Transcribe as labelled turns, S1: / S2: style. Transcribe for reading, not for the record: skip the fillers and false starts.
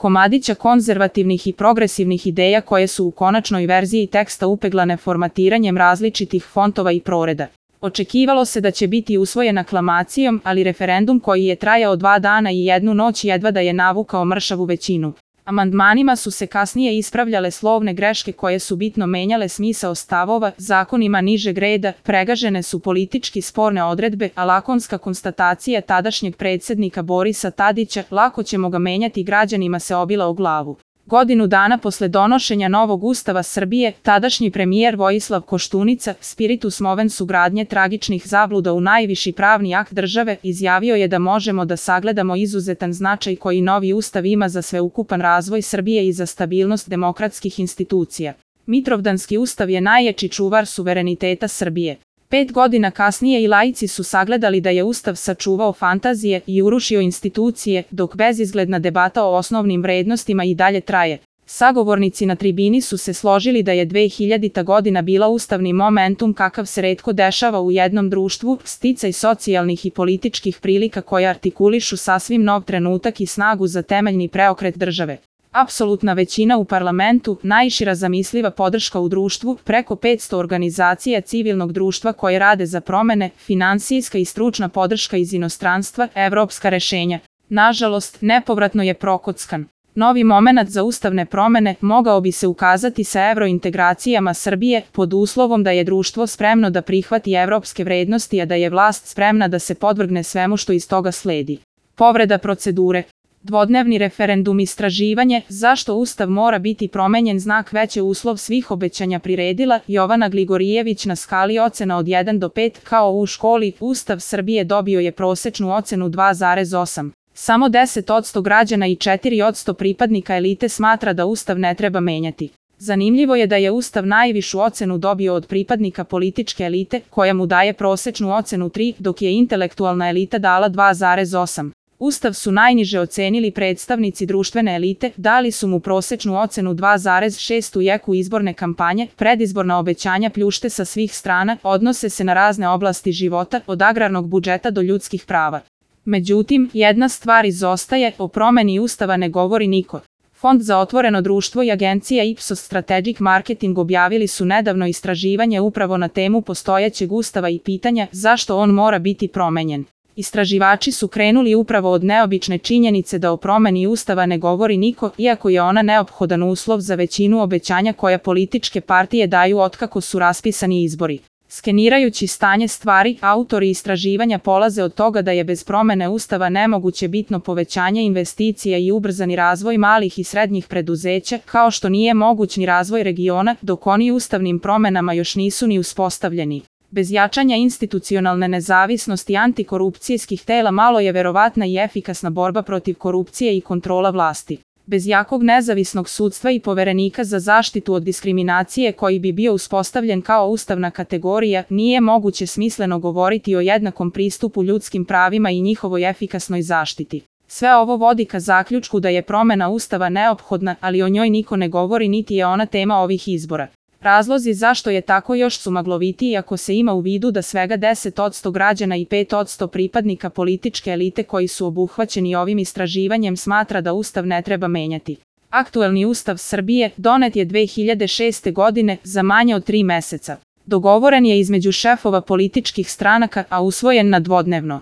S1: komadića konzervativnih i progresivnih ideja koje su u konačnoj verziji teksta upeglane formatiranjem različitih fontova i proreda. Očekivalo se da će biti usvojen aklamacijom, ali referendum koji je trajao 2 dana i 1 noć jedva da je navukao mršavu većinu. Amandmanima su se kasnije ispravljale slovne greške koje su bitno menjale smisao stavova, zakonima nižeg reda, pregažene su politički sporne odredbe, a lakonska konstatacija tadašnjeg predsjednika Borisa Tadića "lako ćemo ga menjati" građanima se obila o glavu. Godinu dana posle donošenja novog Ustava Srbije, tadašnji premijer Vojislav Koštunica, spiritus movens ugradnje tragičnih zabluda u najviši pravni akt države, izjavio je da možemo da sagledamo izuzetan značaj koji novi Ustav ima za sveukupan razvoj Srbije i za stabilnost demokratskih institucija. Mitrovdanski ustav je najjači čuvar suvereniteta Srbije. 5 godina kasnije i laici su sagledali da je Ustav sačuvao fantazije i urušio institucije, dok bezizgledna debata o osnovnim vrednostima i dalje traje. Sagovornici na tribini su se složili da je 2000. godina bila ustavni momentum kakav se retko dešava u jednom društvu, sticaj socijalnih i političkih prilika koje artikulišu sasvim nov trenutak i snagu za temeljni preokret države. Apsolutna većina u parlamentu, najšira zamisliva podrška u društvu, preko 500 organizacija civilnog društva koje rade za promene, finansijska i stručna podrška iz inostranstva, evropska rešenja. Nažalost, nepovratno je prokockan. Novi momenat za ustavne promene mogao bi se ukazati sa evrointegracijama Srbije, pod uslovom da je društvo spremno da prihvati evropske vrednosti, a da je vlast spremna da se podvrgne svemu što iz toga sledi. Povreda procedure. Dvodnevni referendum, istraživanje "Zašto Ustav mora biti promenjen?" znak veće uslov svih obećanja priredila Jovana Gligorijević na skali ocena od 1 do 5, kao u školi. Ustav Srbije dobio je prosečnu ocenu 2,8. Samo 10% građana i 4% pripadnika elite smatra da Ustav ne treba menjati. Zanimljivo je da je Ustav najvišu ocenu dobio od pripadnika političke elite, koja mu daje prosečnu ocenu 3, dok je intelektualna elita dala 2,8. Ustav su najniže ocenili predstavnici društvene elite, dali su mu prosečnu ocenu 2,6 u jeku izborne kampanje, predizborna obećanja pljušte sa svih strana, odnose se na razne oblasti života, od agrarnog budžeta do ljudskih prava. Međutim, jedna stvar izostaje, o promeni Ustava ne govori niko. Fond za otvoreno društvo i agencija Ipsos Strategic Marketing objavili su nedavno istraživanje upravo na temu postojećeg Ustava i pitanja zašto on mora biti promenjen. Istraživači su krenuli upravo od neobične činjenice da o promeni Ustava ne govori niko, iako je ona neophodan uslov za većinu obećanja koja političke partije daju otkako su raspisani izbori. Skenirajući stanje stvari, autori istraživanja polaze od toga da je bez promene Ustava nemoguće bitno povećanje investicija i ubrzani razvoj malih i srednjih preduzeća, kao što nije moguć ni razvoj regiona, dok oni ustavnim promenama još nisu ni uspostavljeni. Bez jačanja institucionalne nezavisnosti antikorupcijskih tela malo je verovatna i efikasna borba protiv korupcije i kontrola vlasti. Bez jakog nezavisnog sudstva i poverenika za zaštitu od diskriminacije koji bi bio uspostavljen kao ustavna kategorija, nije moguće smisleno govoriti o jednakom pristupu ljudskim pravima i njihovoj efikasnoj zaštiti. Sve ovo vodi ka zaključku da je promena Ustava neophodna, ali o njoj niko ne govori niti je ona tema ovih izbora. Razlozi zašto je tako još su maglovitiji ako se ima u vidu da svega 10% građana i 5% pripadnika političke elite koji su obuhvaćeni ovim istraživanjem smatra da Ustav ne treba menjati. Aktuelni Ustav Srbije donet je 2006. godine za manje od 3 meseca. Dogovoren je između šefova političkih stranaka, a usvojen na dvodnevno.